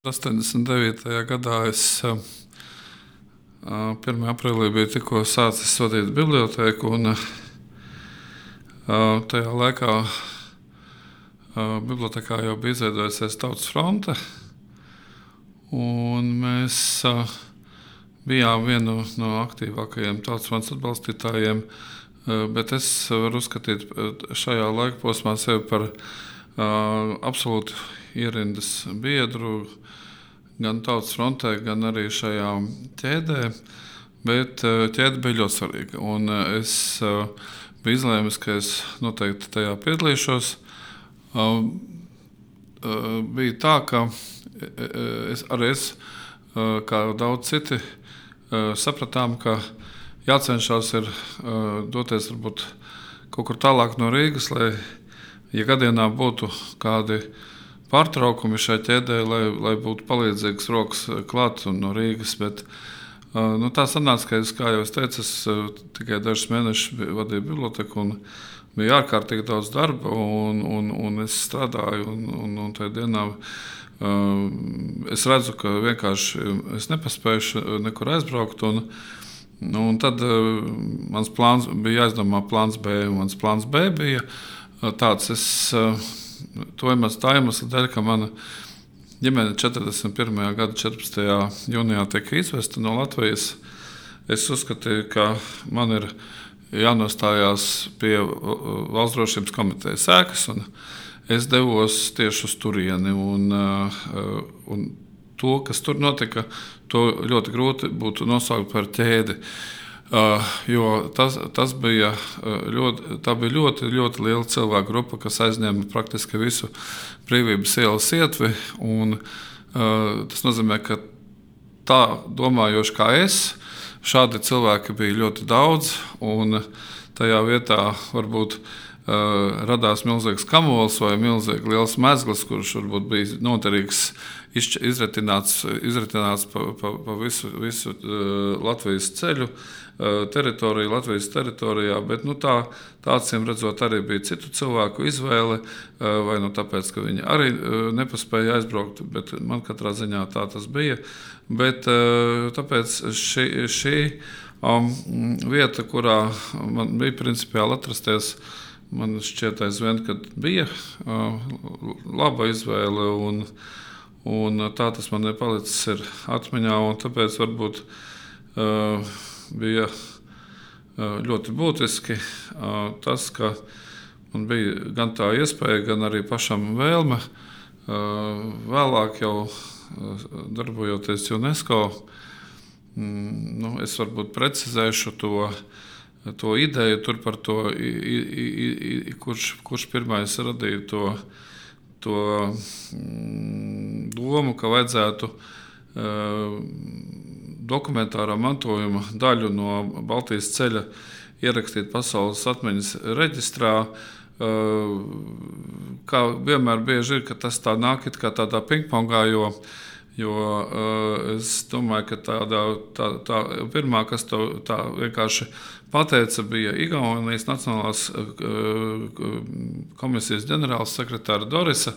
89. gadā es 1. aprīlī biju tikko sācis vadīt bibliotēku, un tajā laikā bibliotekā jau bija izveidojusies Tautas fronte, un mēs bijām viena no aktīvākajiem Tautas frontes atbalstītājiem, bet es varu uzskatīt šajā laika posmā sevi par absolūti ierindas biedru, gan Tautas frontē, gan arī šajā ķēdē, bet ķēde bija ļoti svarīga. Un es biju izlēmis, ka es noteikti tajā piedalīšos. Bija tā, ka es, kā daudz citi, sapratām, ka jācenšas ir doties varbūt kaut kur tālāk no Rīgas, lai, ja gadienā būtu kādi pārtraukumi šai ķēdē, lai būtu palīdzīgas rokas klāt un no Rīgas, bet tā sanāca, ka es, kā jau es teicu, tikai dažus mēnešus vadīju biblioteku un bija ārkārtīgi daudz darba, un es strādāju, un tajā dienā es redzu, ka vienkārši es nepaspēju nekur aizbraukt, un tad mans plāns bija jāizdomā plāns B, un mans plāns B bija tāds, to iemeslu dēļ, ka mana ģimene 41. gada 14. jūnijā tika izvesta no Latvijas. Es uzskatīju, ka man ir jānostājās pie Valsts drošības komitejas ēkas, un es devos tieši uz turieni. Un to, kas tur notika, to ļoti grūti būtu nosaukt par ķēdi. Jo tas bija ļoti, ļoti liela cilvēku grupa, kas aizņēma praktiski visu Brīvības ielas ietvi. Tas nozīmē, ka tā domājoši kā es, šādi cilvēki bija ļoti daudz, un tajā vietā varbūt radās milzīgs kamols vai milzīgi liels mezgls, kurš varbūt bija noderīgs izritināts pa visu Latvijas ceļu teritoriju, Latvijas teritorijā, bet acīm redzot arī bija citu cilvēku izvēle, vai tāpēc, ka viņi arī nepaspēja aizbraukt, bet man katrā ziņā tā tas bija. Bet tāpēc šī vieta, kurā man bija principiāli atrasties, man šķiet aizvien, kad bija laba izvēle, un tā tas man ir palicis atmiņā, un tāpēc varbūt bija ļoti būtiski tas, ka man bija gan tā iespēja, gan arī pašam vēlme vēlāk jau darbojoties UNESCO. Es varbūt precizēšu to ideju tur par to, kurš pirmais radīja to domu, ka vajadzētu dokumentārā mantojuma daļu no Baltijas ceļa ierakstīt pasaules atmiņas reģistrā. Kā vienmēr bieži ir, ka tas tā nāk it kā tādā pingpongā, jo es domāju, ka tā pirmā, kas to tā vienkārši pateica, bija Igaunijas Nacionālās komisijas ģenerāls sekretāra Dorisa.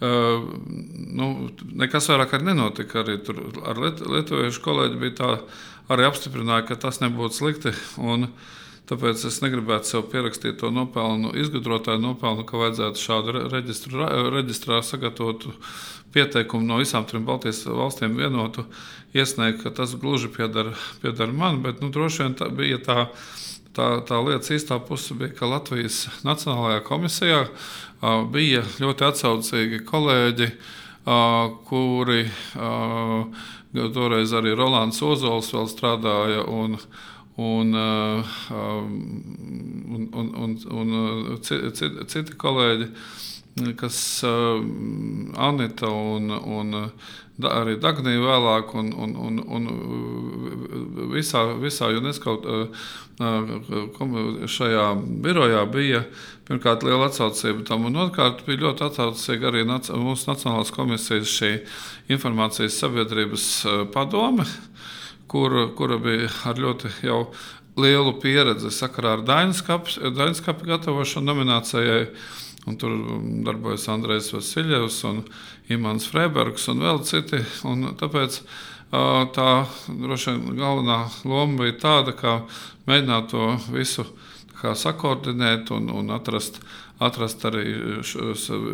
Nekas vairāk arī nenotika. Arī tur ar lietuviešu kolēģi bija tā, arī apstiprināja, ka tas nebūtu slikti. Tāpēc es negribētu sev pierakstīt to nopelnu, izgudrotāju nopelnu, ka vajadzētu šādu reģistrā sagatavotu pieteikumu no visām trim Baltijas valstīm vienotu iesniegt, ka tas gluži pieder man, bet droši vien bija tā lietas īstā puse bija, ka Latvijas Nacionālajā komisijā bija ļoti atsaucīgi kolēģi, kuri toreiz arī Rolands Ozols vēl strādāja un citi kolēģi, kas Anita un arī Dagnija vēlāk un visā UNESCO šajā birojā bija pirmkārt liela atsaucība tam, un otrkārt bija ļoti atsaucīga arī mūsu Nacionālās komisijas šī informācijas sabiedrības padome, kura bija ar ļoti jau lielu pieredzi sakarā ar Dainskapu gatavošanu nominācijai. un tur darbojas Andrejs Vasiljevs un Imants Freibergs un vēl citi. Un tāpēc tā droši vien galvenā loma bija tāda, kā mēģināt to visu sakoordinēt un atrast arī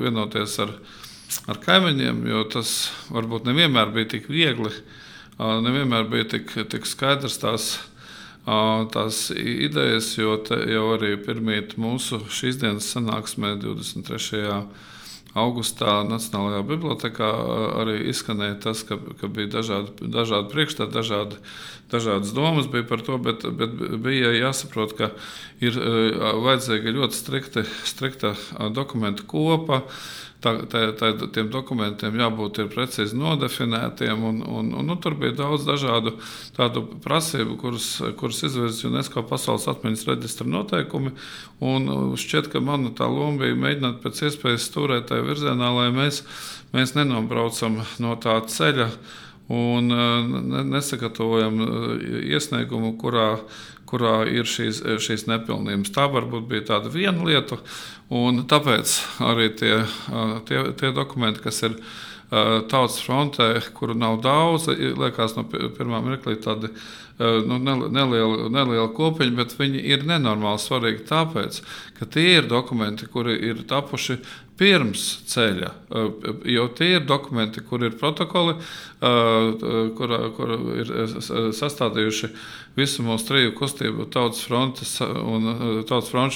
vienoties ar kaimiņiem, jo tas varbūt nevienmēr bija tik viegli, nevienmēr bija tik skaidrs tās idejas, jo arī pirmīt mūsu šīs dienas sanāksmē 23. augustā Nacionālajā bibliotēkā arī izskanēja tas, ka bija dažādi priekšstati, dažādas domas bija par to, bet bija jāsaprot, ka ir vajadzīga ļoti strikta dokumentu kopa. Tiem dokumentiem jābūt precīzi nodefinētiem, un tur bija daudz dažādu tādu prasību, kuras izvirza UNESCO pasaules atmiņas reģistra noteikumi. Un šķiet, ka mana tā loma bija mēģināt pēc iespējas stūrēt tajā virzienā, lai mēs nenobraucam no tā ceļa un nesagatavojam iesniegumu, kurā ir šīs nepilnības. Tā varbūt bija tāda viena lieta, un tāpēc arī tie dokumenti, kas ir Tautas frontē, kuru nav daudz, liekas no pirmā mirklī tādi neliela kopiņa, bet viņi ir nenormāli svarīgi tāpēc, ka tie ir dokumenti, kuri ir tapuši pirms ceļa, jo tie ir dokumenti, kur ir protokoli, kur ir sastādījuši visu mūsu triju kustību Tautas fronts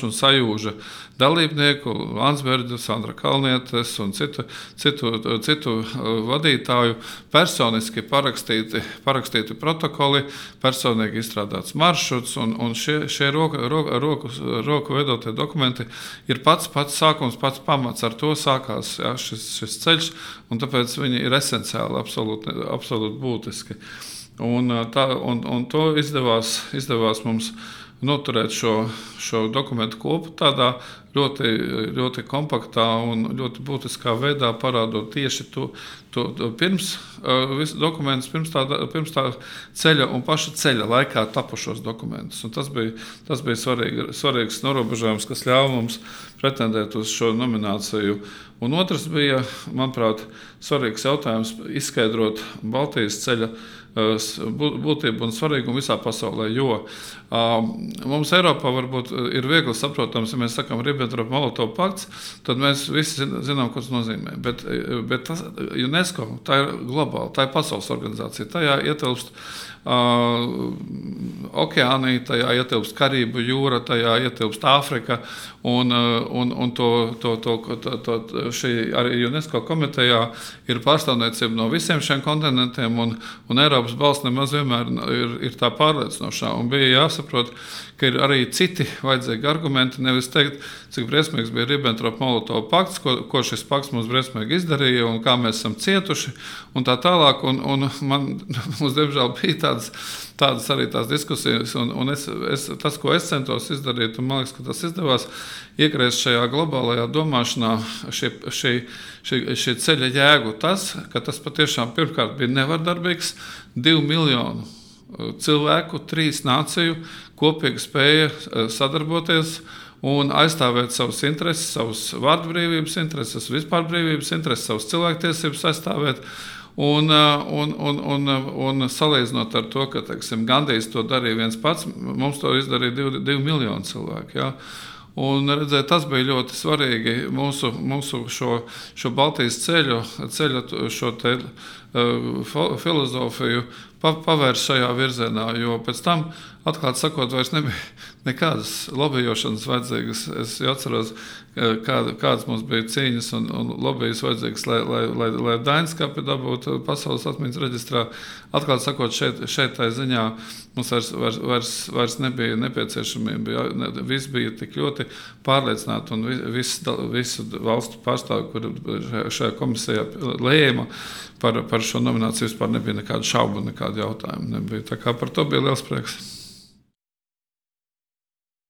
un Sajūža dalībnieku, Landsberģu, Sandra Kalnietes un citu vadītāju versoniski parakstīti protokoli, personīgi izstrādāts maršruts, un šie roku veidotie dokumenti ir pats sākums, pats pamats. Ar to sākās šis ceļš, un tāpēc viņi ir esenciāli, absolūti būtiski. Un to izdevās mums noturēt šo dokumentu kopu tādā ļoti kompaktā un ļoti būtiskā veidā, parādot tieši to pirms dokumentus, pirms tā ceļa un paša ceļa laikā tapušos dokumentus. Un tas bija svarīgs norobežojums, kas ļāva mums pretendēt uz šo nomināciju. Un otrs bija, manuprāt, svarīgs jautājums izskaidrot Baltijas ceļa būtību un svarīgumu visā pasaulē, jo mums Eiropā varbūt ir viegli saprotams, ja mēs sakam Ribbentrop-Molotov pakts, tad mēs visi zinām, ko tas nozīmē. Bet tas UNESCO, tā ir globāla, tā ir pasaules organizācija, tajā ietilpst okeānija, tajā ietilpst Karību jūra, tajā ietilpst Āfrika, un šī arī UNESCO komitejā ir pārstāvniecība no visiem šiem kontinentiem, un Eiropas balss nemaz vienmēr ir tā pārliecinošā, un bija jāsaprot, ka ir arī citi vajadzīgi argumenti, nevis teikt, cik briesmīgs bija Ribbentrop-Molotov pakts, ko šis pakts mums briesmīgi izdarīja, un kā mēs esam cietuši, un tā tālāk, un mums, diemžēl, bija tādas arī tās diskusijas, un tas, ko es centos izdarīt, un man liekas, ka tas izdevās, iegriezt šajā globālajā domāšanā šī ceļa jēgu ka tas patiešām pirmkārt bija nevardarbīgs 2 miljonu cilvēku, 3 nāciju kopīgi spēja sadarboties un aizstāvēt savas intereses, savas vārdbrīvības intereses, vispār brīvības intereses, savas cilvēktiesības aizstāvēt. Un salīdzinot ar to, ka Gandijs to darīja viens pats, mums to izdarīja 2 miljoni cilvēku. Ja? Un, redzēt, tas bija ļoti svarīgi mūsu šo Baltijas ceļu šo te filozofiju pavērst šajā virzienā, jo pēc tam, atklāt sakot, vairs nebija nekādas lobbyošanas vajadzīgas. Es atceros, kādas mums bija cīņas un lobbyjas vajadzīgas, lai Dainskapi dabūtu pasaules atmiņas reģistrā. Atklāt sakot, šeit tā ziņā mums vairs nebija nepieciešamība. Viss bija tik ļoti pārliecināti, un visu valstu pārstāvi, kuri šajā komisijā lēma par šo nomināciju, vispār nebija nekādu šaubu, nekādu jautājumu. Nebija. Tā kā par to bija liels prieks.